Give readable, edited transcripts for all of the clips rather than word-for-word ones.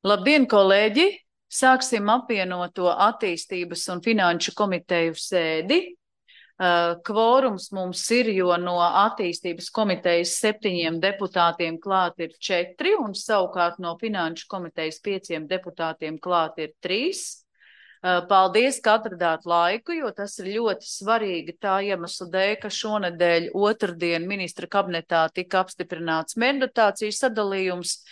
Labdien, kolēģi! Sāksim apvienoto attīstības un finanšu komiteju sēdi. Kvorums mums ir, jo no attīstības komitejas 7 deputātiem klāt ir 4, un savukārt no finanšu komitejas 5 deputātiem klāt ir 3. Paldies, ka atradāt laiku, jo tas ir ļoti svarīgi tā iemesla dēļ, ka šonedēļ otrdien ministra kabinetā tika apstiprināts mērķdotāciju sadalījums,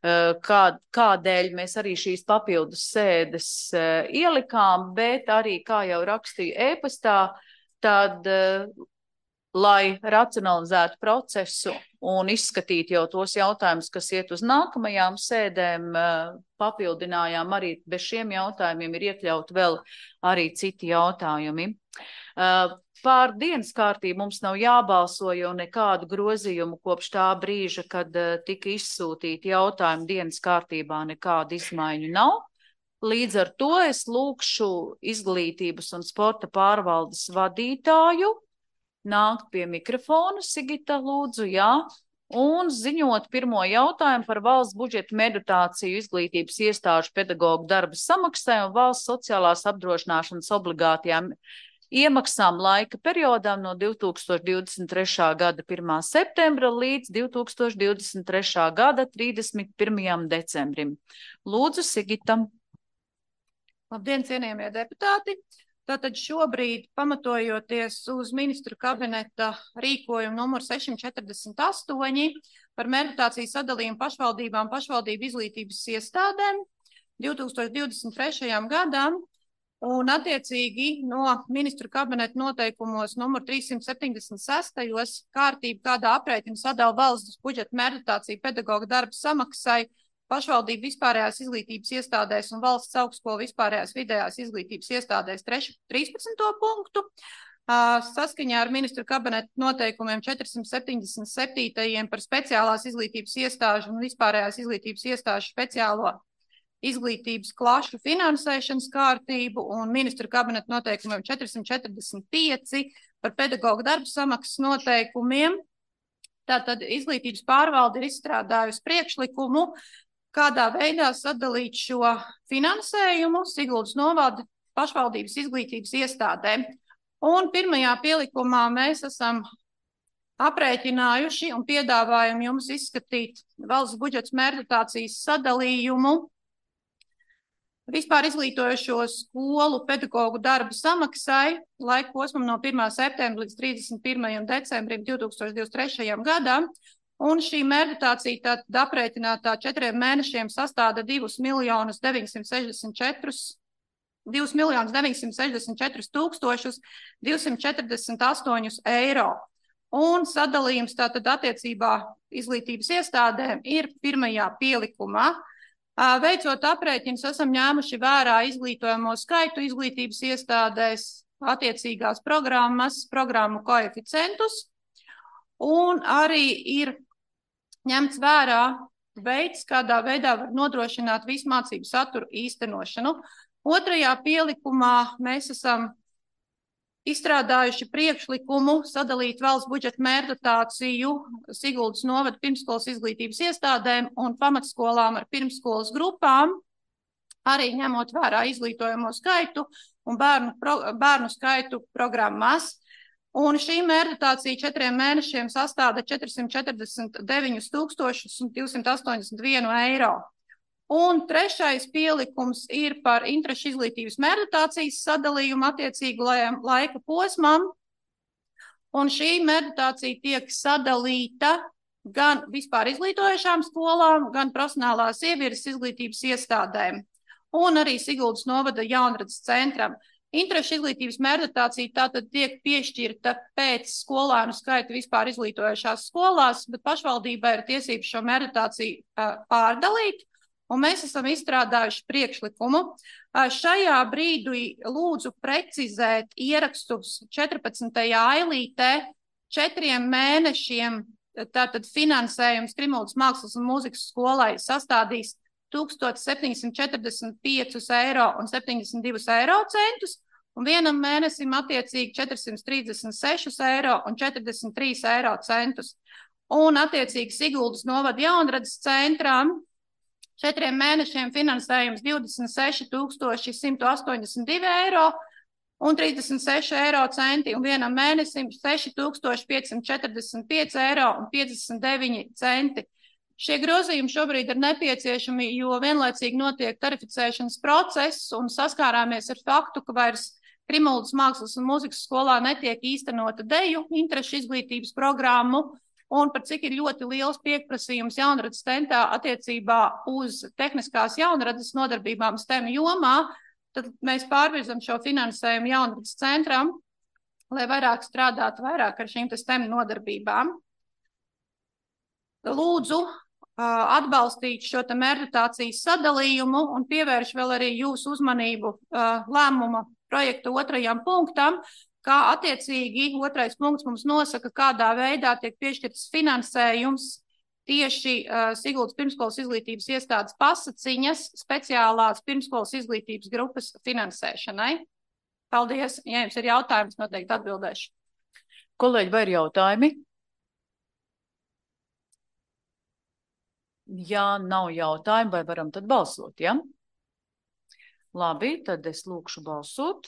kādēļ mēs arī šīs papildus sēdes ielikām, bet arī, kā jau rakstīju ēpastā, tad, lai racionalizētu procesu un izskatītu jau tos jautājumus, kas iet uz nākamajām sēdēm, papildinājām arī bez šiem jautājumiem ir iekļaut vēl arī citi jautājumi. Pār dienas kārtību mums nav jābalso, jo nekādu grozījumu kopš tā brīža, kad tika izsūtīti jautājumi dienas kārtībā, nekādu izmaiņu nav. Līdz ar to es lūkšu izglītības un sporta pārvaldes vadītāju nākt pie mikrofona. Sigita, lūdzu, jā. Un ziņot pirmo jautājumu par valsts budžeta mērķdotāciju izglītības iestāžu pedagoģu darba samaksai un valsts sociālās apdrošināšanas obligātajām iemaksām laika periodām no 2023. gada 1. septembra līdz 2023. gada 31. decembrim. Lūdzu, Sigita. Labdien, cienījamie deputāti! Tātad šobrīd, pamatojoties uz ministru kabineta rīkojumu numur 648 par mērķdotāciju sadalījumu pašvaldībām, pašvaldību izglītības iestādēm 2023. gadam, un attiecīgi no ministru kabineta noteikumos numur 376. kārtība, kādā aprēķina sadala valsts budžeta mērķdotāciju pedagoģa darba samaksai pašvaldību vispārējās izglītības iestādēs un valsts augstskolu vispārējās vidējās izglītības iestādēs 13. punktu. Saskaņā ar ministru kabineta noteikumiem 477. par speciālās izglītības iestāžu un vispārējās izglītības iestāžu speciālo izglītības klašu finansēšanas kārtību un ministru kabineta noteikumiem 445 par pedagoģa darba samaksas noteikumiem. Tātad izglītības pārvalde ir izstrādājusi priekšlikumu, kādā veidā sadalīt šo finansējumu Siguldas novada pašvaldības izglītības iestādēm. Un pirmajā pielikumā mēs esam aprēķinājuši un piedāvājam jums izskatīt valsts budžets mērķdotācijas sadalījumu vispār izglītojošo skolu pedagoģu darba samaksai laika posmam no 1. septembra līdz 31. decembrim 2023. gadam. Un šī mērķdotācija tātad aprēķinātā 4 mēnešiem sastāda 2.964.248 eiro. Un sadalījums tātad attiecībā izglītības iestādēm ir pirmajā pielikumā. Veicot aprēķinus, esam ņēmuši vērā izglītojamo skaitu izglītības iestādēs, attiecīgās programmas, programmu koeficientus, un arī ir ņemts vērā veids, kādā veidā var nodrošināt visu mācību saturu īstenošanu. Otrajā pielikumā mēs esam izstrādājuši priekšlikumu sadalīt valsts budžeta mērķdotāciju Siguldas novada pirmsskolas izglītības iestādēm un pamatskolām ar pirmsskolas grupām, arī ņemot vērā izglītojamo skaitu un bērnu skaitu programmās. Un šī mērķdotācija 4 mēnešiem sastāda 449.281 eiro. Un trešais pielikums ir par interešu izglītības mērķdotācijas sadalījumu attiecīgu laika posmam. Un šī mērķdotācija tiek sadalīta gan vispār izglītojošām skolām, gan profesionālās ievirzes izglītības iestādēm. Un arī Siguldas novada jaunradas centram. Interešu izglītības mērķdotācija tātad tiek piešķirta pēc skolēnu skaita vispār izglītojošās skolās, bet pašvaldībai ir tiesības šo mērķdotāciju pārdalīt, un mēs esam izstrādājuši priekšlikumu. Šajā brīdī lūdzu precizēt ierakstus 14. ailītē 4 mēnešiem, tātad finansējums Krimuldas mākslas un mūzikas skolai sastādīs 1745,72 eiro un vienam mēnesim attiecīgi 436,43 eiro. Un attiecīgi Siguldas novada jaunradas centram 4 mēnešiem finansējums 26,182 eiro un 36 eiro centi, un vienam mēnesim 6,545 eiro un 59 centi. Šie grozījumi šobrīd ir nepieciešami, jo vienlaicīgi notiek tarificēšanas process un saskārāmies ar faktu, ka vairs Krimuldas mākslas un mūzikas skolā netiek īstenota deju interešu izglītības programmu, un par cik ir ļoti liels pieprasījums jaunradas centrā attiecībā uz tehniskās jaunradas nodarbībām STEM jomā, tad mēs pārvirzam šo finansējumu jaunradas centram, lai vairāk strādātu ar šīm STEM nodarbībām. Lūdzu atbalstīt šo mērķdotācijas sadalījumu un pievērš vēl arī jūsu uzmanību lēmuma projekta 2. punktam, kā attiecīgi 2. punkts mums nosaka, kādā veidā tiek piešķirts finansējums tieši Siguldas pirmskolas izglītības iestādes pasaciņas speciālās pirmskolas izglītības grupas finansēšanai. Paldies! Ja jums ir jautājums, noteikti atbildēšu. Kolēģi, vai ir jautājumi? Ja nav jautājumu, vai varam tad balsot, ja? Labi, tad es lūkšu balsot.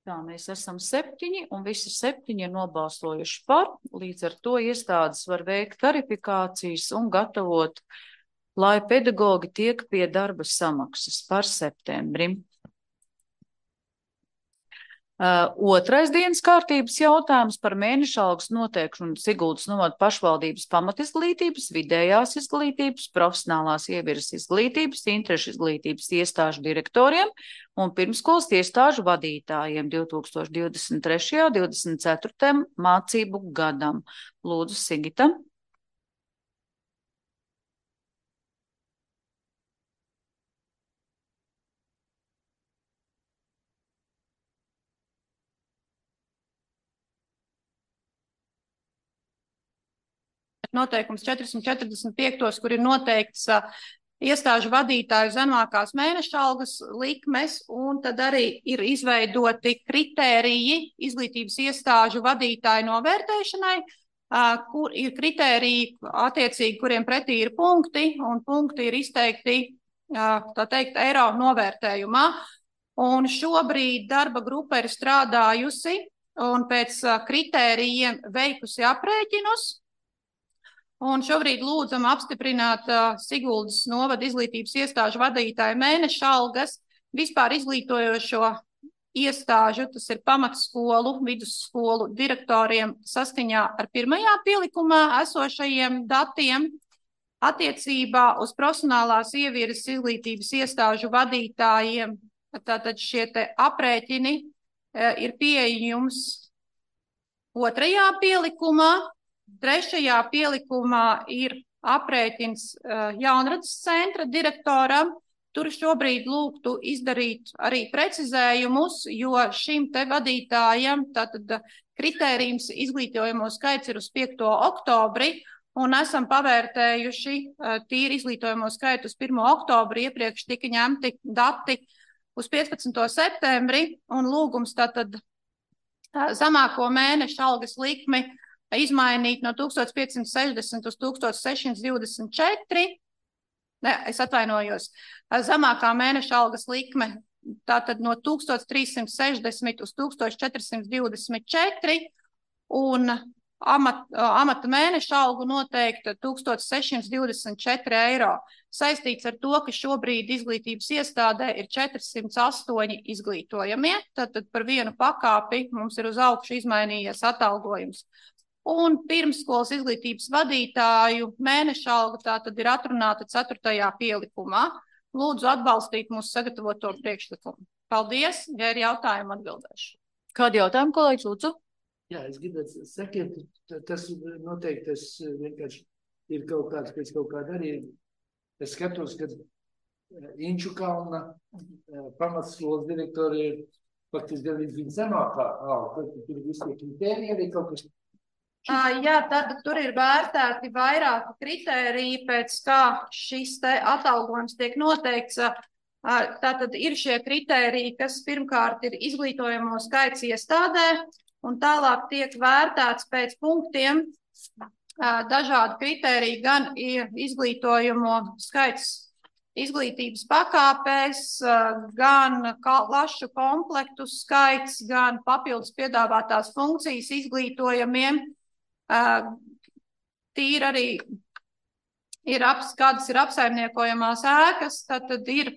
Tā, mēs esam 7, un visi 7 ir nobalsojuši par. Līdz ar to iestādes var veikt tarifikācijas un gatavot, lai pedagogi tiek pie darba samaksas par septembrim. 2. dienas kārtības jautājums par mēneša algas noteikšanu Siguldas novada pašvaldības pamatizglītības, vidējās izglītības, profesionālās ievirzes izglītības, interešu izglītības iestāžu direktoriem un pirmskolas iestāžu vadītājiem 2023. 24. mācību gadam. Lūdzu, Sigita. Noteikums 445, kur ir noteikts iestāžu vadītāju zemākās mēneša algas likmes, un tad arī ir izveidoti kritēriji izglītības iestāžu vadītāju novērtēšanai, kur ir kritēriji attiecīgi, kuriem pretī ir punkti, un punkti ir izteikti, tā teikt, eiro novērtējumā. Un šobrīd darba grupa ir strādājusi un pēc kritērijiem veikusi aprēķinus. Un šobrīd lūdzam apstiprināt Siguldas novada izglītības iestāžu vadītāju mēneša algas vispār izglītojošo iestāžu, tas ir pamatskolu, vidusskolu direktoriem saskaņā ar 1. pielikumā esošajiem datiem. Attiecībā uz profesionālās ievirzes izglītības iestāžu vadītājiem, tātad šie te aprēķini ir pieejams 2. pielikumā. 3. pielikumā ir aprēķins jaunradas centra direktoram. Tur šobrīd lūgtu izdarīt arī precizējumus, jo šim te vadītājam tātad kritērijums izglītojamo skaits ir uz 5. oktobri, un esam pavērtējuši tīri izglītojamo skaitu uz 1. oktobri, iepriekš tika ņemti dati uz 15. septembri, un lūgums tātad zemāko mēneša algas likmi izmainīt no 1560 uz 1624. Ne, es atvainojos. Zemākā mēneša algas likme tātad no 1360 uz 1424 un amata mēneša algu noteikta 1624 eiro. Saistīts ar to, ka šobrīd izglītības iestādē ir 408 izglītojamie, tātad par vienu pakāpi mums ir uz augšu izmainījies atalgojums. Un pirmskolas izglītības vadītāju mēneša alga tātad ir atrunāta 4. pielikumā. Lūdzu atbalstīt mūsu sagatavoto priekšlikumu. Paldies, ja ir jautājumi atbildēšu. Kādi jautājumi, kolēģis, lūdzu? Jā, es gribētu sakiet, tas noteikti tas vienkārši ir kaut kāds, pēc kaut kāda arī. Es skatos, ka Inču kalna pamatskolas direktori ir faktiski galīgi viņa zemākā alga. Tur visi tie kritēriji arī kaut kas. Jā, tad tur ir vērtēti vairāki kritēriji, pēc kā šis te atalgojums tiek noteikts. Tātad ir šie kritēriji, kas pirmkārt ir izglītojamo skaits iestādē, un tālāk tiek vērtēts pēc punktiem dažādi kritēriji, gan izglītojumu skaits izglītības pakāpēs, gan klašu komplektu skaits, gan papildus piedāvātās funkcijas izglītojamiem. Tīri arī kādas ir apsaimniekojamās ēkas, tad ir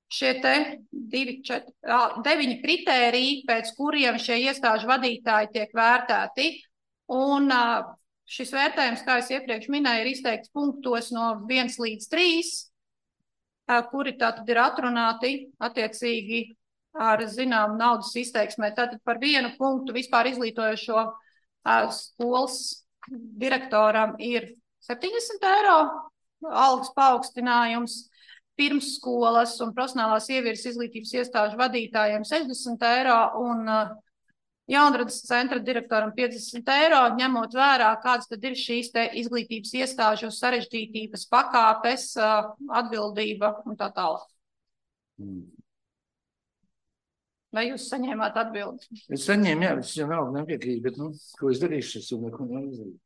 šie te 9 kritēriji, pēc kuriem šie iestāžu vadītāji tiek vērtēti. Un šis vērtējums, kā es iepriekš minēju, ir izteikts punktos no 1 līdz 3, kuri tātad ir atrunāti attiecīgi ar zinām naudas izteiksmē. Tātad par 1 punktu vispār izglītojošo skolas direktoram ir 70 eiro algas paaugstinājums, pirmsskolas un profesionālās ievirzes izglītības iestāžu vadītājiem 60 eiro un jaunradas centra direktoram 50 eiro, ņemot vērā, kādas tad ir šīs te izglītības iestāžu sarežģītības pakāpes, atbildība un tā tālāk. Vai jūs saņēmāt atbildi? Es saņēmu, jā, es jau nav nepiekrīt, bet, ko es darīšu, es jau neko neizdarīju.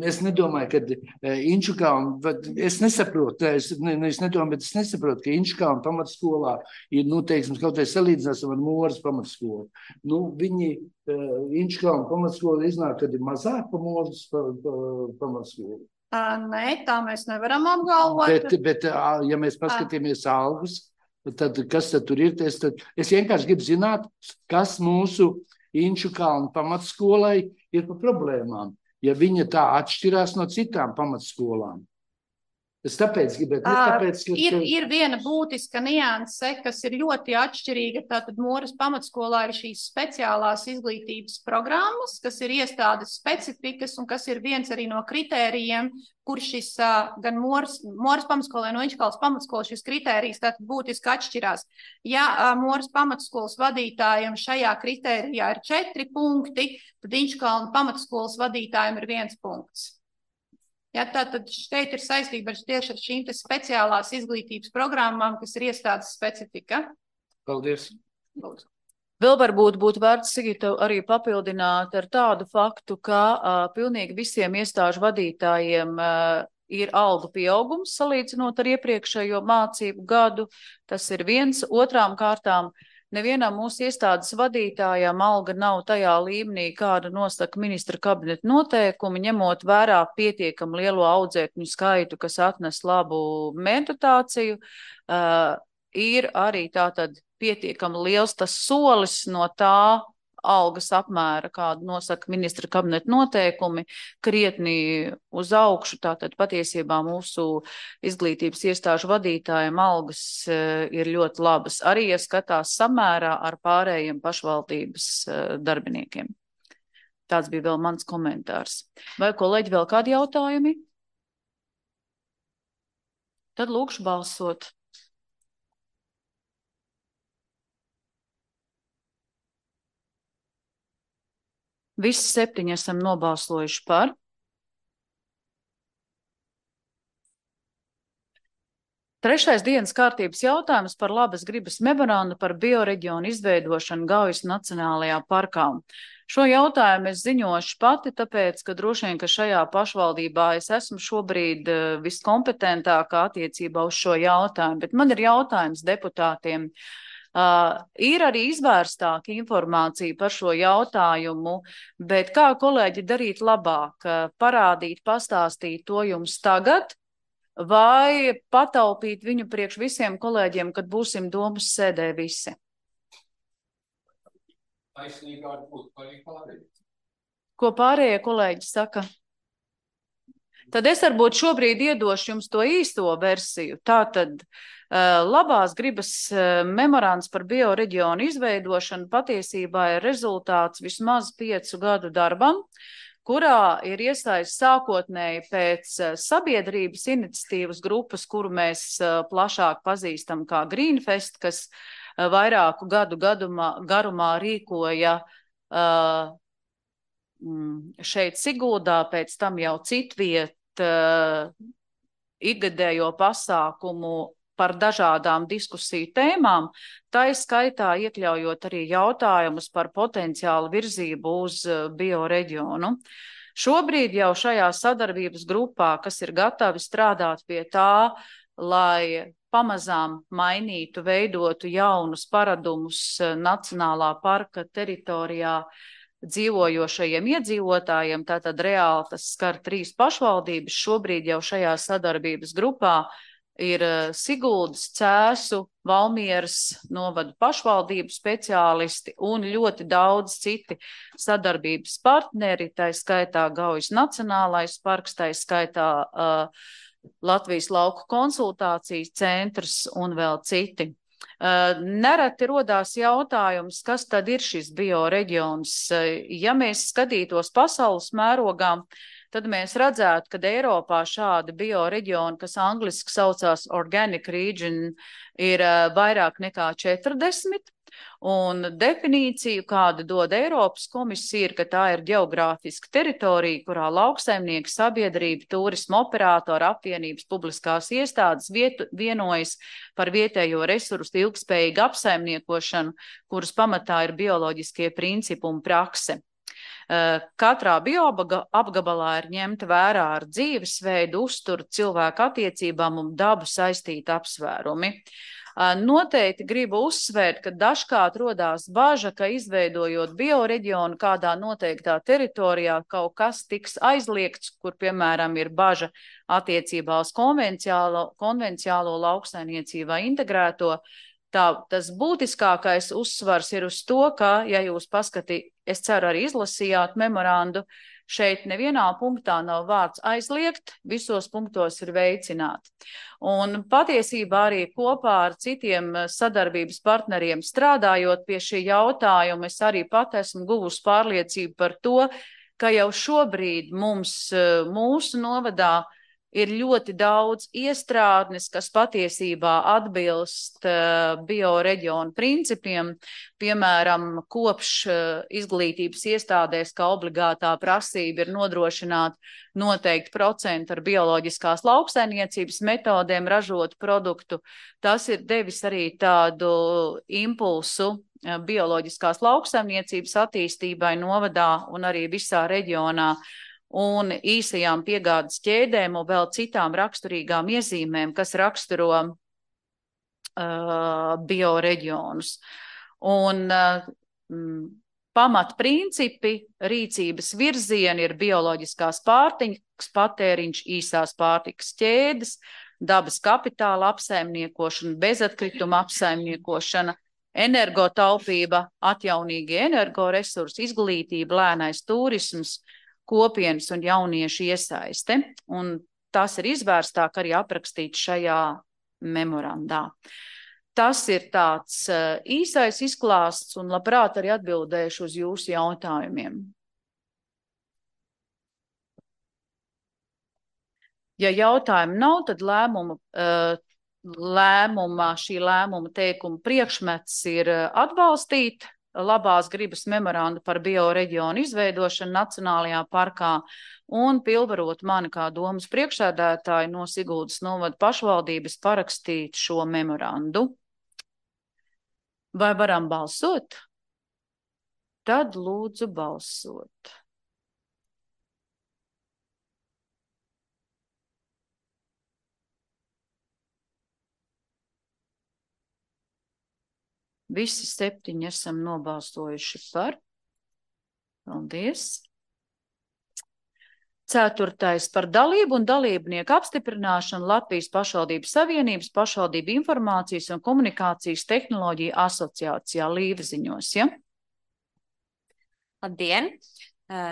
Es nedomāju, ka Inčukalna, es nesaprotu, es nedomāju, bet es nesaprotu, ka Inčukalna pamatskolā ir, teiksim, kaut vai salīdzināsim ar Moras pamatskolu. Viņi Inčukalna pamatskola iznāk, kad ir mazāk pa Moras pamatskolu. Nē, tā mēs nevaram apgalvot. Bet ja mēs paskatīmies algas, tad kas tad tur ir? Es vienkārši gribu zināt, kas mūsu Inčukalna pamatskolai ir pa problēmām. Ja viņa tā atšķirās no citām pamatskolām. Es tāpēc gribētu, tāpēc, ka... Ir viena būtiska nianse, kas ir ļoti atšķirīga. Tātad Moras pamatskolā ir šīs speciālās izglītības programmas, kas ir iestādes specifikas un kas ir viens arī no kritērijiem, kur šis gan Moras pamatskolē no Inčukalnas pamatskolas šis kritērijs tātad būtiski atšķirās. Ja Moras pamatskolas vadītājiem šajā kritērijā ir 4 punkti, tad Inčukalna pamatskolas vadītājiem ir 1 punkts. Ja, tātad šeit ir saistība tieši ar šīm speciālās izglītības programmām, kas ir iestādes specifika. Paldies. Lūdzu. Vēl varbūt būtu vērts, Sigita, arī papildināt ar tādu faktu, ka pilnīgi visiem iestāžu vadītājiem ir algu pieaugums salīdzinot ar iepriekšējo mācību gadu. Tas ir 1. Otrām kārtām. Nevienam mūsu iestādes vadītājām alga nav tajā līmenī, kāda nosaka ministra kabineta noteikumi, ņemot vērā pietiekam lielo audzēkņu skaitu, kas atnes labu meditāciju. Ir arī tātad pietiekam liels tas solis no tā algas apmēra, kādu nosaka ministra kabineta noteikumi, krietni uz augšu. Tātad patiesībā mūsu izglītības iestāžu vadītājiem algas ir ļoti labas. Arī, ja skatās samērā ar pārējiem pašvaldības darbiniekiem. Tāds bija vēl mans komentārs. Vai, kolēģi, vēl kādi jautājumi? Tad lūkšu balsot. Visi 7 esam nobalsojuši par. Trešais dienas kārtības jautājums par labas gribas memorandu par bioreģionu izveidošanu Gaujas Nacionālajā parkā. Šo jautājumu es ziņošu pati, tāpēc, ka droši vien, ka šajā pašvaldībā es esmu šobrīd viskompetentākā attiecībā uz šo jautājumu, bet man ir jautājums deputātiem. Ir arī izvērstāka informācija par šo jautājumu, bet kā kolēģi darīt labāk? Parādīt, pastāstīt to jums tagad vai pataupīt viņu priekš visiem kolēģiem, kad būsim domas sēdē visi? Taisnīgāk būtu arī pārējie. Ko pārējie kolēģi saka? Tad es varbūt šobrīd iedošu jums to īsto versiju. Tātad labās gribas memorands par bioreģionu izveidošanu patiesībā ir rezultāts vismaz 5 gadu darbam, kurā ir iesaistīts sākotnēji pēc sabiedrības iniciatīvas grupas, kuru mēs plašāk pazīstam kā Greenfest, kas vairāku gadu garumā rīkoja šeit Siguldā, pēc tam jau citviet ikgadējo pasākumu par dažādām diskusiju tēmām, tā skaitā iekļaujot arī jautājumus par potenciālu virzību uz bioreģionu. Šobrīd jau šajā sadarbības grupā, kas ir gatavi strādāt pie tā, lai pamazām mainītu, veidotu jaunus paradumus Nacionālā parka teritorijā dzīvojošajiem iedzīvotājiem, tātad reāli tas skar 3 pašvaldības. Šobrīd jau šajā sadarbības grupā ir Siguldas, Cēsu, Valmieras novadu pašvaldību speciālisti un ļoti daudz citi sadarbības partneri, tā skaitā Gaujas Nacionālais parks, tā skaitā Latvijas lauku konsultācijas centrs un vēl citi. Nereti rodās jautājums, kas tad ir šis bioreģions. Ja mēs skatītos pasaules mērogā, tad mēs redzētu, ka Eiropā šādi bioreģioni, kas angliski saucās Organic Region, ir vairāk nekā 40. Un definīciju, kādu dod Eiropas komisija, ir, ka tā ir ģeogrāfiska teritorija, kurā lauksaimnieki, sabiedrība, turisma operatori, apvienības, publiskās iestādes vienojas par vietējo resursu ilgspējīgu apsaimniekošanu, kuras pamatā ir bioloģiskie principi un prakse. Katrā bioapgabalā ir ņemta vērā ar dzīvesveidu, uzturu, cilvēku attiecībām un dabu saistīti apsvērumi. Noteikti gribu uzsvērt, ka dažkārt rodās baža, ka izveidojot bioreģionu kādā noteiktā teritorijā kaut kas tiks aizliegts, kur, piemēram, ir baža attiecībā uz konvenciālo lauksaimniecību vai integrēto. Tas būtiskākais uzsvars ir uz to, ka, ja jūs es ceru arī izlasījāt memorandu, šeit nevienā punktā nav vārds aizliegt, visos punktos ir veicināt. Un patiesībā arī kopā ar citiem sadarbības partneriem strādājot pie šī jautājuma, es arī pat esmu guvusi pārliecību par to, ka jau šobrīd mūsu novadā ir ļoti daudz iestrādnes, kas patiesībā atbilst bioreģionu principiem, piemēram, kopš izglītības iestādēs, kā obligātā prasība ir nodrošināt noteikti procentu ar bioloģiskās lauksaimniecības metodēm ražotu produktu. Tas ir devis arī tādu impulsu bioloģiskās lauksaimniecības attīstībai novadā un arī visā reģionā. Un īsajām piegādes ķēdēm un vēl citām raksturīgām iezīmēm, kas raksturo bioreģionus. Un pamatprincipi, rīcības virzieni ir bioloģiskās pārtikas patēriņš, īsās pārtikas ķēdes, dabas kapitāla apsaimniekošana, bezatkrituma apsaimniekošana, energotaupība, atjaunīgie energoresursi, izglītība, lēnais turisms, kopienas un jauniešu iesaiste, un tas ir izvērstāk arī aprakstīts šajā memorandā. Tas ir tāds īsais izklāsts, un labprāt arī atbildēšu uz jūsu jautājumiem. Ja jautājumu nav, tad šī lēmuma teikuma priekšmets ir atbalstīt labās gribas memorandu par bioreģionu izveidošanu Nacionālajā parkā un pilnvarot mani kā domas priekšsēdētāju no Siguldas novada pašvaldības parakstīt šo memorandu. Vai varam balsot? Tad lūdzu balsot. Visi 7 esam nobalsojuši par. Paldies. 4. par dalību un dalībnieku apstiprināšanu Latvijas pašvaldību savienības pašvaldību informācijas un komunikācijas tehnoloģiju asociācijā Līvaziņos. Ja? Labdien!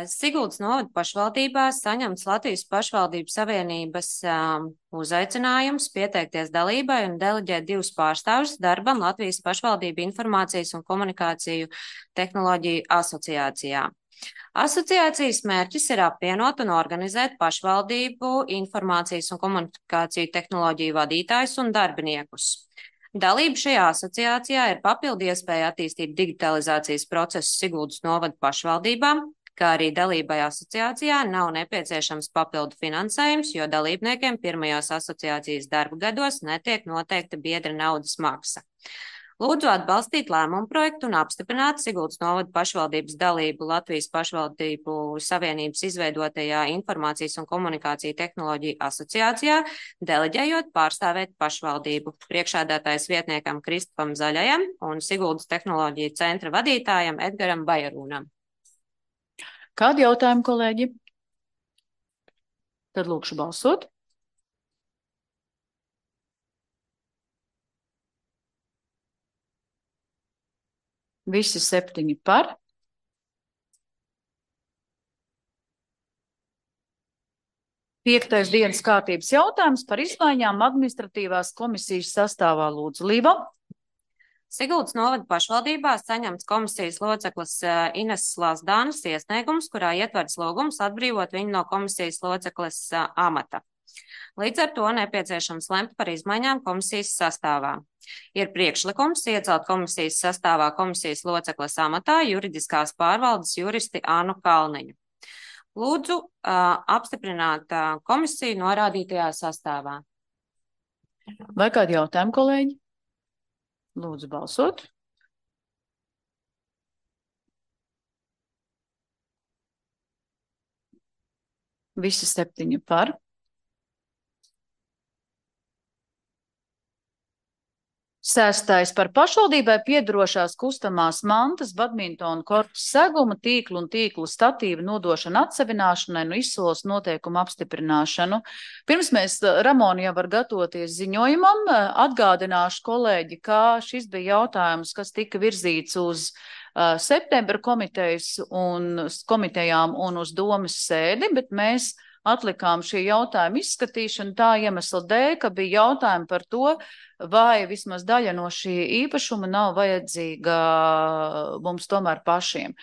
Siguldas novada pašvaldībā saņemts Latvijas pašvaldību savienības uzaicinājums pieteikties dalībai un deleģēt 2 pārstāvjus darbam Latvijas pašvaldību informācijas un komunikāciju tehnoloģiju asociācijā. Asociācijas mērķis ir apvienot un organizēt pašvaldību informācijas un komunikāciju tehnoloģiju vadītājus un darbiniekus. Dalība šajā asociācijā ir papildu iespēja attīstīt digitalizācijas procesu Siguldas novada pašvaldībām, kā arī dalībai asociācijā nav nepieciešams papildu finansējums, jo dalībniekiem pirmajos asociācijas darba gados netiek noteikta biedra naudas maksa. Lūdzu atbalstīt lēmumu projektu un apstiprināt Siguldas novada pašvaldības dalību Latvijas pašvaldību savienības izveidotajā informācijas un komunikāciju tehnoloģiju asociācijā, deleģējot pārstāvēt pašvaldību priekšādātājs vietniekam Kristupam Zaļajam un Siguldas tehnoloģiju centra vadītājam Edgaram Bajarūnam. Kādi jautājumi, kolēģi? Tad lūkšu balsot. Visi 7 par. Piektais dienas kārtības jautājums par izmaiņām administratīvās komisijas sastāvā. Lūdzu, Līva. Siguldas novada pašvaldībā saņemts komisijas loceklis Ineses Lazdānas iesniegums, kurā ietverts lūgums atbrīvot viņu no komisijas loceklis amata. Līdz ar to nepieciešams lemt par izmaiņām komisijas sastāvā. Ir priekšlikums iecelt komisijas sastāvā komisijas locekles amatā juridiskās pārvaldes juristi Ānu Kalniņu. Lūdzu apstiprināt komisiju norādītajā sastāvā. Vai kādi jautājumi, kolēģi? Lūdzu balsot. Visi 7 par. Sestais par pašvaldībai piedarošās kustamās mantas, badmintona korpusa seguma, tīklu un tīklu statīvu nodošanu atsevināšanai un izsoles noteikumu apstiprināšanu. Pirms mēs, Ramona, jau var gatavoties ziņojumam, atgādināšu kolēģi, kā šis bija jautājums, kas tika virzīts uz septembra komitejām un uz domas sēdi, bet mēs atlikām šī jautājuma izskatīšanu tā iemesla dēļ, ka bija jautājumi par to, vai vismaz daļa no šī īpašuma nav vajadzīga mums tomēr pašiem.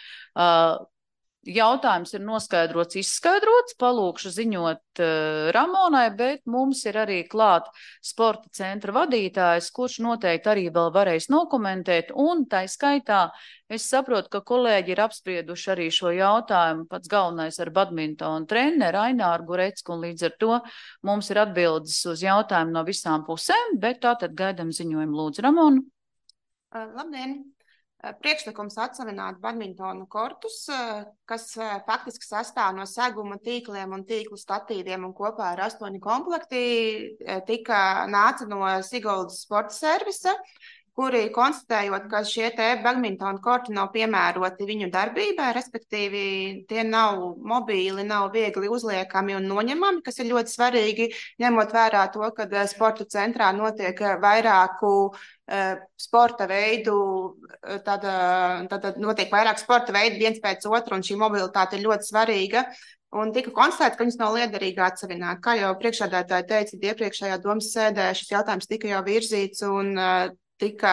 Jautājums ir noskaidrots, izskaidrots, palūkšu ziņot Ramonai, bet mums ir arī klāt sporta centra vadītājs, kurš noteikti arī vēl varēs nokomentēt, un tai skaitā es saprotu, ka kolēģi ir apsprieduši arī šo jautājumu, pats galvenais ar badmintonu treneru Aināru Gurecku, un līdz ar to mums ir atbildes uz jautājumu no visām pusēm, bet tātad gaidam ziņojumu. Lūdzu, Ramonu. Labdien! Priekšlikums atsavināt badmintonu kortus, kas faktiski sastāv no seguma tīkliem un tīklu statīviem un kopā ar 8 komplekti, nāca no Siguldas sporta servisa, kuri konstatējot, ka šie te badmintonu korti nav piemēroti viņu darbībai, respektīvi tie nav mobīli, nav viegli uzliekami un noņemami, kas ir ļoti svarīgi, ņemot vērā to, ka sporta centrā notiek vairāku sporta veidu, tad notiek vairāk sporta veidu viens pēc otru, un šī mobilitāte ir ļoti svarīga. Un tika konstatēts, ka viņas nav liederīgi atsavināt. Kā jau priekšādātāji teica, iepriekšējā domas sēdē šis jautājums tika jau virzīts un tika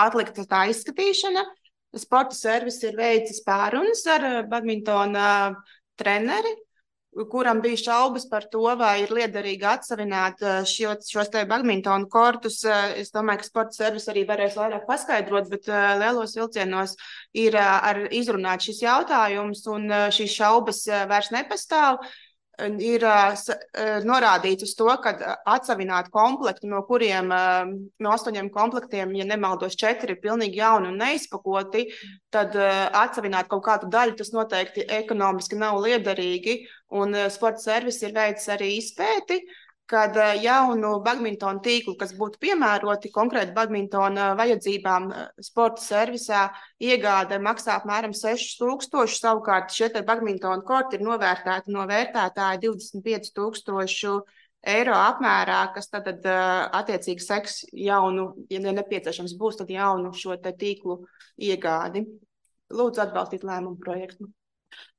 atlikta tā izskatīšana. Sporta servis ir veicis pārunas ar badmintona treneri, kuram bija šaubas par to, vai ir liederīgi atsavināt šos te badmintonu kortus. Es domāju, ka sporta servis arī varēs vairāk paskaidrot, bet lielos vilcienos ir izrunāt šis jautājums, un šīs šaubas vairs nepastāv. Ir norādīts uz to, ka atsavināt komplektu, no kuriem no 8 komplektiem, ja nemaldos 4 ir pilnīgi jauni un neizpakoti, tad atsavināt kaut kādu daļu, tas noteikti ekonomiski nav liederīgi, un sporta servis ir veicis arī izpēti, kad jaunu badmintonu tīklu, kas būtu piemēroti konkrēti badmintona vajadzībām sporta servisā, iegāde maksā apmēram 6,000, savukārt šie te badmintona korti ir novērtēti no vērtētāja 25,000 eiro apmērā, kas tad attiecīgi seks jaunu, ja nepieciešams būs, tad jaunu šo te tīklu iegādi. Lūdzu atbalstīt lēmumu projektu.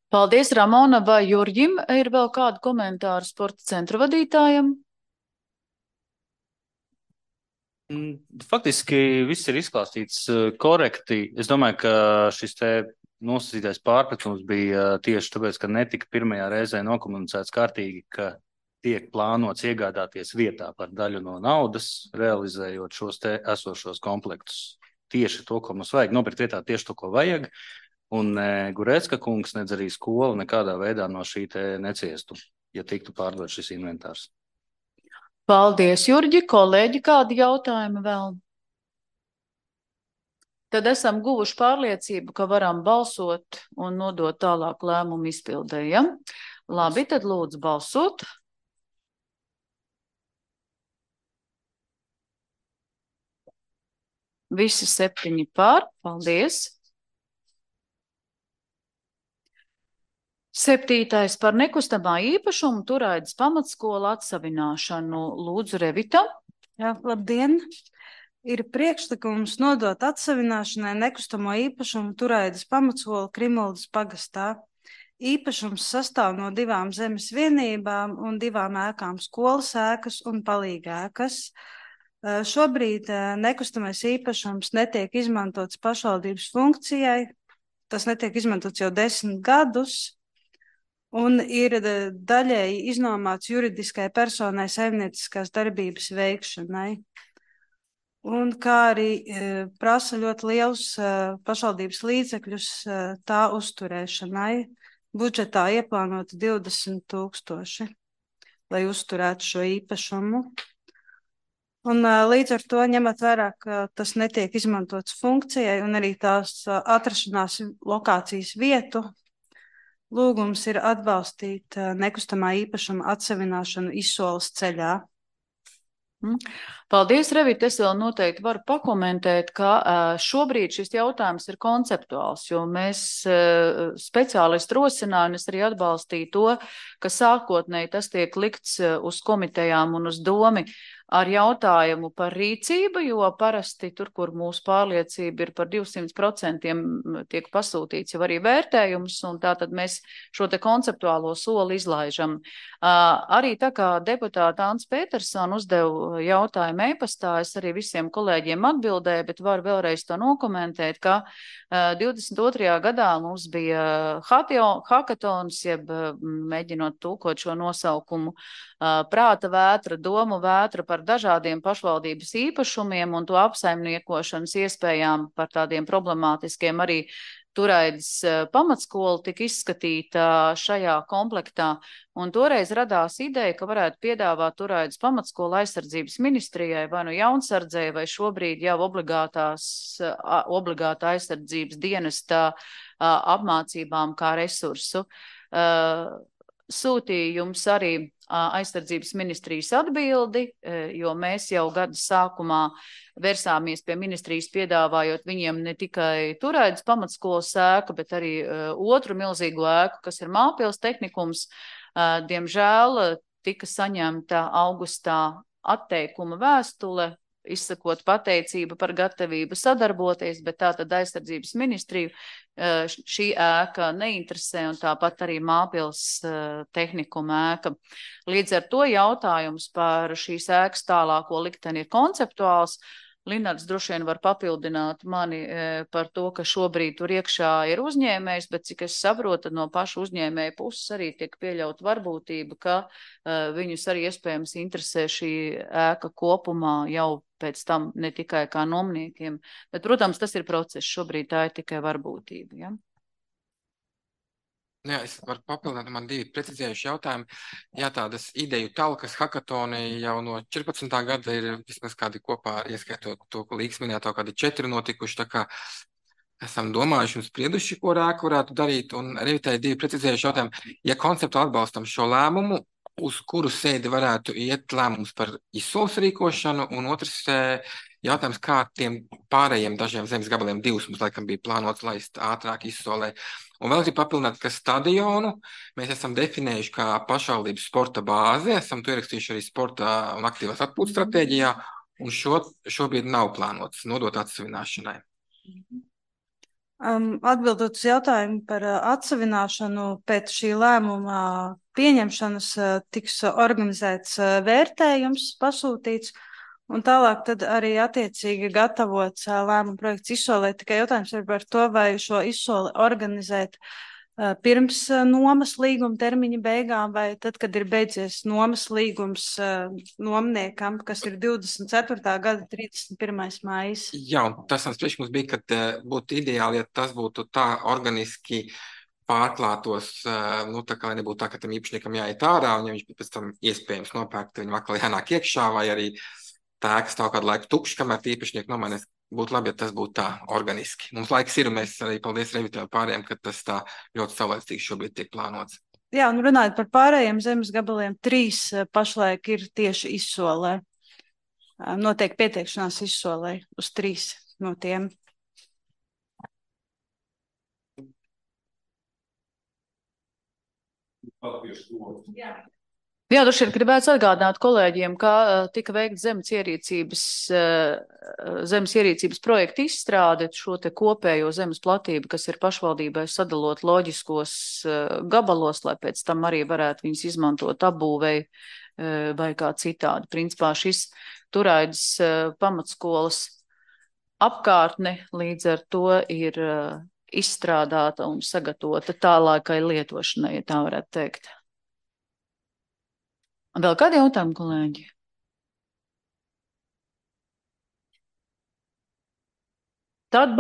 Paldies, Ramona. Vai Jurģim ir vēl kādu komentāru sporta centra vadītājam? Faktiski viss ir izklāstīts korekti. Es domāju, ka šis te nosacītais pārpratums bija tieši tāpēc, ka netika pirmajā reizē nokomunicēts kārtīgi, ka tiek plānots iegādāties vietā par daļu no naudas, realizējot šos te esošos komplektus. Tieši to, ko mums vajag, nopirkt vietā tieši to, ko vajag. Un ne Gurecka kungs, nedz arī skola nekādā veidā no šī te neciestu, ja tiktu pārdot šis inventārs. Paldies, Jurģi. Kolēģi, kādi jautājumi vēl? Tad esam guvuši pārliecību, ka varam balsot un nodot tālāk lēmumu izpildē, ja? Labi, tad lūdzu balsot. Visi 7 par. Paldies. 7. par nekustamā īpašumu Turaidas pamatskola atsavināšanu. Lūdzu, Revita. Jā, labdien! Ir priekšlikums nodot atsavināšanai nekustamo īpašumu Turaidas pamatskola Krimuldas pagastā. Īpašums sastāv no 2 zemes vienībām un 2 ēkām - skolas ēkas un palīga ēkas. Šobrīd nekustamais īpašums netiek izmantots pašvaldības funkcijai. Tas netiek izmantots jau 10 gadus. Un ir daļēji iznomāts juridiskai personai saimnieciskās darbības veikšanai. Un kā arī prasa ļoti liels pašvaldības līdzekļus tā uzturēšanai. Budžetā ieplānoti 20 000, lai uzturētu šo īpašumu. Un līdz ar to ņemot vērā, ka tas netiek izmantots funkcijai un arī tās atrašanās lokācijas vietu, lūgums ir atbalstīt nekustamā īpašuma atsavināšanu izsoles ceļā. Paldies, Revita. Es vēl noteikti varu pakomentēt, ka šobrīd šis jautājums ir konceptuāls, jo mēs speciālisti rosināju un es arī atbalstīju to, ka sākotnēji tas tiek likts uz komitejām un uz domi ar jautājumu par rīcību, jo parasti tur, kur mūsu pārliecība ir par 200%, tiek pasūtīts jau arī vērtējums, un tātad mēs šo te konceptuālo soli izlaižam. Arī tā kā deputāta Ants Petersona uzdeva jautājumu e-pastā, es arī visiem kolēģiem atbildēju, bet varu vēlreiz to nokomentēt, ka 22. gadā mums bija hakatons, jeb mēģinot tulkot šo nosaukumu, prāta vētra, domu vētra par dažādiem pašvaldības īpašumiem un to apsaimniekošanas iespējām par tādiem problemātiskiem arī Turaidas pamatskola tika izskatīta šajā komplektā. Un toreiz radās ideja, ka varētu piedāvāt Turaidas pamatskola aizsardzības ministrijai vai nu jaunsardzēji vai šobrīd jau obligāta aizsardzības dienesta apmācībām kā resursu. Sūtīju jums arī aizsardzības ministrijas atbildi, jo mēs jau gada sākumā versāmies pie ministrijas piedāvājot viņiem ne tikai Turaidas pamatskolas ēku, bet arī otru milzīgu ēku, kas ir Mālpils tehnikums. Diemžēl tika saņemta augustā atteikuma vēstule, izsakot pateicību par gatavību sadarboties, bet tātad aizsardzības ministriju šī ēka neinteresē un tāpat arī Mālpils tehnikuma ēka. Līdz ar to jautājums par šīs ēkas tālāko likteni ir konceptuāls. Linards droši vien var papildināt mani par to, ka šobrīd tur iekšā ir uzņēmējs, bet cik es saprotu, no paša uzņēmēja puses arī tiek pieļaut varbūtība, ka viņus arī iespējams interesē šī ēka kopumā jau pēc tam ne tikai kā nomniekiem. Bet, protams, tas ir process, šobrīd tā ir tikai varbūtība. Ja? Jā, es varu papildināt, man 2 precizējuši jautājumi. Jā, tādas ideju talkas hakatoni jau no 14. gada ir vismaz kādi kopā, ieskaitot to, ko Līgs minēto, kādi 4 notikuši, tā kā esam domājuši un sprieduši, ko ēku varētu darīt, un Revitai 2 precizējuši jautājumi. Ja konceptu atbalstam šo lēmumu, uz kuru sēdi varētu iet lēmums par izsoles rīkošanu, un otrs jautājums, kā tiem pārējiem dažiem zemes gabaliem 2 mums laikam bija plānots laist ātrāk izsolē. Un vēl gribu papildināt, ka stadionu mēs esam definējuši kā pašvaldības sporta bāzi, esam to ierakstījuši arī sporta un aktīvās atpūtas stratēģijā, un šobrīd nav plānots nodot atsavināšanai. Atbildot uz jautājumu par atsavināšanu, pēc šī lēmuma pieņemšanas tiks organizēts vērtējums, pasūtīts, un tālāk tad arī attiecīgi gatavots lēmuma projekts izsolē. Tikai jautājums ir par to, vai šo izsoli organizēt pirms nomas līguma termiņa beigām vai tad, kad ir beidzies nomas līgums nomniekam, kas ir 24. gada 31. maijs. Jā, un tas mans priekšlikums bija, ka būtu ideāli, ja tas būtu tā organiski pārklātos, nu tā kā nebūtu tā, ka tam īpašniekam jāiet ārā, un ja viņš pēc tam iespējams nopērkt, viņam atkal jānāk iekšā, vai arī tā ēka stāv kādu laiku tukši, kamēr īpašnieki nomainās. Būtu labi, ja tas būtu tā organiski. Mums laiks ir, un mēs arī paldies Revitē pārējiem, ka tas tā ļoti saulēcīgi šobrīd tiek plānots. Jā, un runājot par pārējiem zemes gabaliem, 3 pašlaik ir tieši izsolē. Notiek pieteikšanās izsolē uz 3 no tiem. Jā, droši vien gribētu atgādināt kolēģiem, ka tika veikta zemes ierīcības projekta izstrāde, šo te kopējo zemes platību, kas ir pašvaldībai sadalot loģiskos gabalos, lai pēc tam arī varētu viņus izmantot apbūvei vai kā citādi. Principā šis Turaidas pamatskolas apkārtne līdz ar to ir izstrādāta un sagatavota tālākai lietošanai, ja tā varētu teikt. Vēl kādi jautājumi, kolēģi? Tad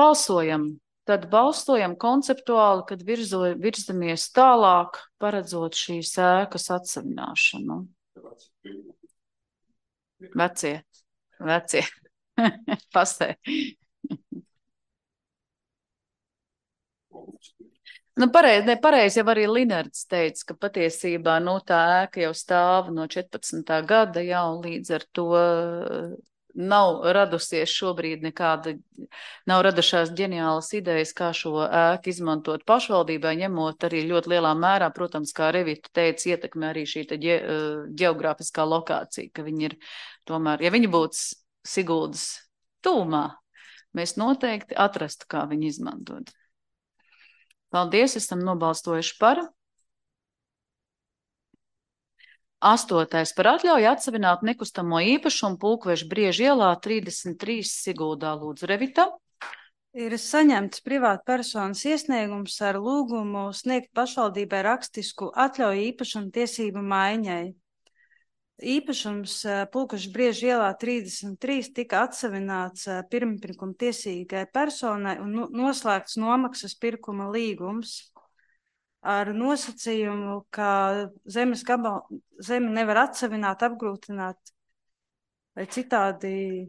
balsojam konceptuāli, kad virzamies tālāk, paredzot šīs ēkas atsavināšanu. Vecie. Pasē. Nu, pareizi jau arī Linards teica, ka patiesībā tā ēka jau stāv no 14. gada jau līdz ar to nav radusies šobrīd nav radušās ģeniālas idejas, kā šo ēku izmantot pašvaldībai, ņemot arī ļoti lielā mērā, protams, kā Revita teica, ietekmē arī šī ģeogrāfiskā lokācija, ka viņi ir tomēr, ja viņi būtu Siguldas tūmā, mēs noteikti atrastu, kā viņi izmantot. Paldies, esam nobalstojuši par. 8. par atļauju atsevināt nekustamo īpašumu Pulkveža Brieža ielā 33 Siguldā. Lūdzu, Revita. Ir saņemts privātpersonas iesniegums ar lūgumu sniegt pašvaldībai rakstisku atļauju īpašumu tiesību maiņai. Īpašums Pulkveža Brieža ielā 33 tika atsavināts pirmpirkuma tiesīgai personai un noslēgts nomaksas pirkuma līgums ar nosacījumu, ka zemi nevar atsavināt, apgrūtināt vai citādi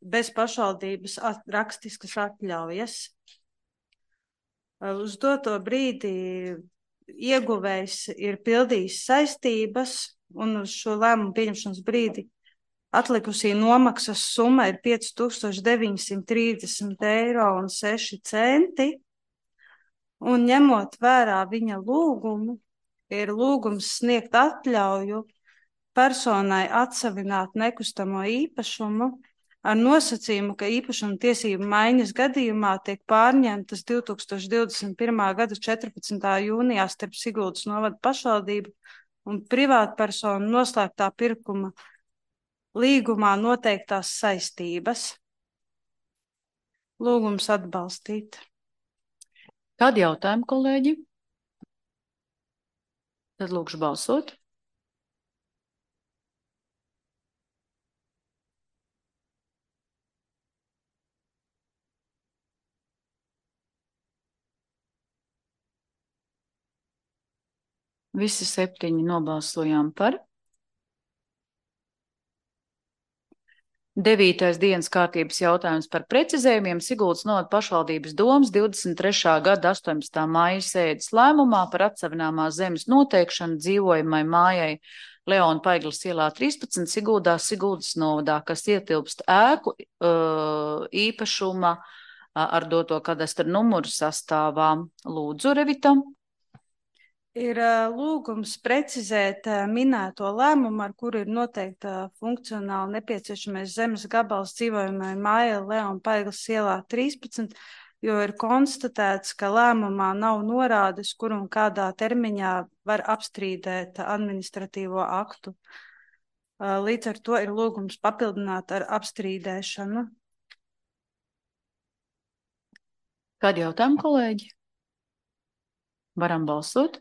bez pašvaldības rakstiskas atļaujas. Uz doto brīdi ieguvējs ir pildījis saistības, un uz šo lēmumu pieņemšanas brīdi atlikusī nomaksas summa ir 5930,06 eiro. Un ņemot vērā viņa lūgumu, ir lūgums sniegt atļauju personai atsavināt nekustamo īpašumu ar nosacījumu, ka īpašuma tiesību maiņas gadījumā tiek pārņemtas 2021. gada 14. jūnijā starp Siguldas novada pašvaldību un privātpersonu noslēgtā pirkuma līgumā noteiktās saistības. Lūgums atbalstīt. Kādi jautājumi, kolēģi? Tad lūkšu balsot. Visi 7 nobalsojām par. 9. dienas kārtības jautājums par precizējumiem Siguldas novada pašvaldības domas 23. gada 18. maija sēdes lēmumā par atsavināmās zemes noteikšanu dzīvojamai mājai Leona Paiglas ielā 13 Siguldas novadā, kas ietilpst ēku īpašuma ar doto kadastra numuru sastāvā. Lūdzu, Revita. Ir lūgums precizēt minēto lēmumu, ar kuru ir noteikta funkcionāli nepieciešamais zemes gabals dzīvojamai mājai Leona Paiglas ielā 13, jo ir konstatēts, ka lēmumā nav norādes, kur un kādā termiņā var apstrīdēt administratīvo aktu. Līdz ar to ir lūgums papildināt ar apstrīdēšanu. Kādi jautājumi, kolēģi? Varam balsot.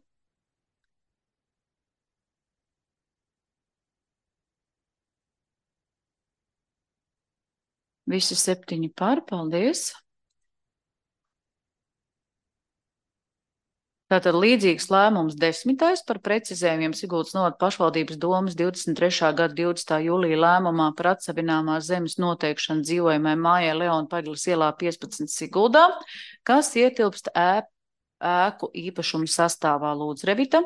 Visi 7 par, paldies. Tātad līdzīgs lēmums 10. par precizējumiem Siguldas novada pašvaldības domas 23. gada 20. jūlija lēmumā par atsevināmās zemes noteikšanu dzīvojamai mājai Leona Pagļas ielā 15 Siguldā, kas ietilpst ēku īpašumu sastāvā. Lūdzu, Revita.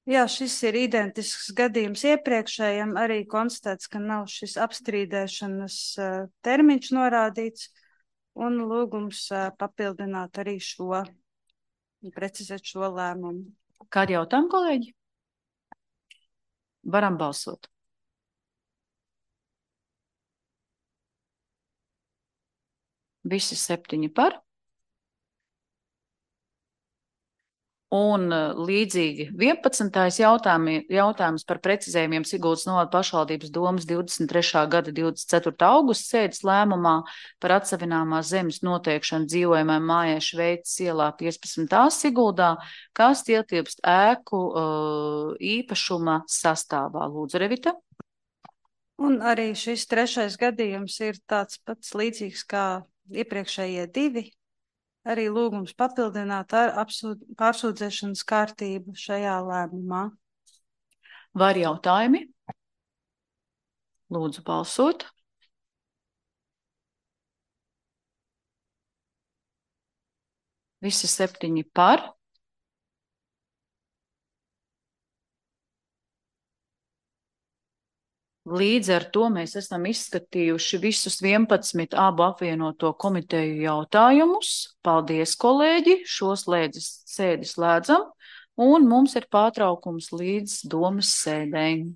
Jā, šis ir identisks gadījums iepriekšējam. Arī konstatēts, ka nav šis apstrīdēšanas termiņš norādīts, un lūgums papildināt arī šo, precizēt šo lēmumu. Kādi jautājumi, kolēģi? Varam balsot. Visi 7 par. Un līdzīgi 11. jautājums par precizējumiem Siguldas novada pašvaldības domas 23. gada 24. augusta sēdes lēmumā par atsevināmās zemes noteikšanu dzīvojamai mājai Šveices ielā 15. Siguldā, kas ietilpst ēku īpašuma sastāvā. Lūdzu, Revita. Un arī šis 3. gadījums ir tāds pats līdzīgs kā iepriekšējie 2. Arī lūgums papildināt ar pārsūdzēšanas kārtību šajā lēmumā. Vai ir jautājumi? Lūdzu, balsot. Visi 7 par. Līdz ar to mēs esam izskatījuši visus 11 abu apvienoto komiteju jautājumus. Paldies, kolēģi! Šo sēdi slēdzam, un mums ir pārtraukums līdz domas sēdēm.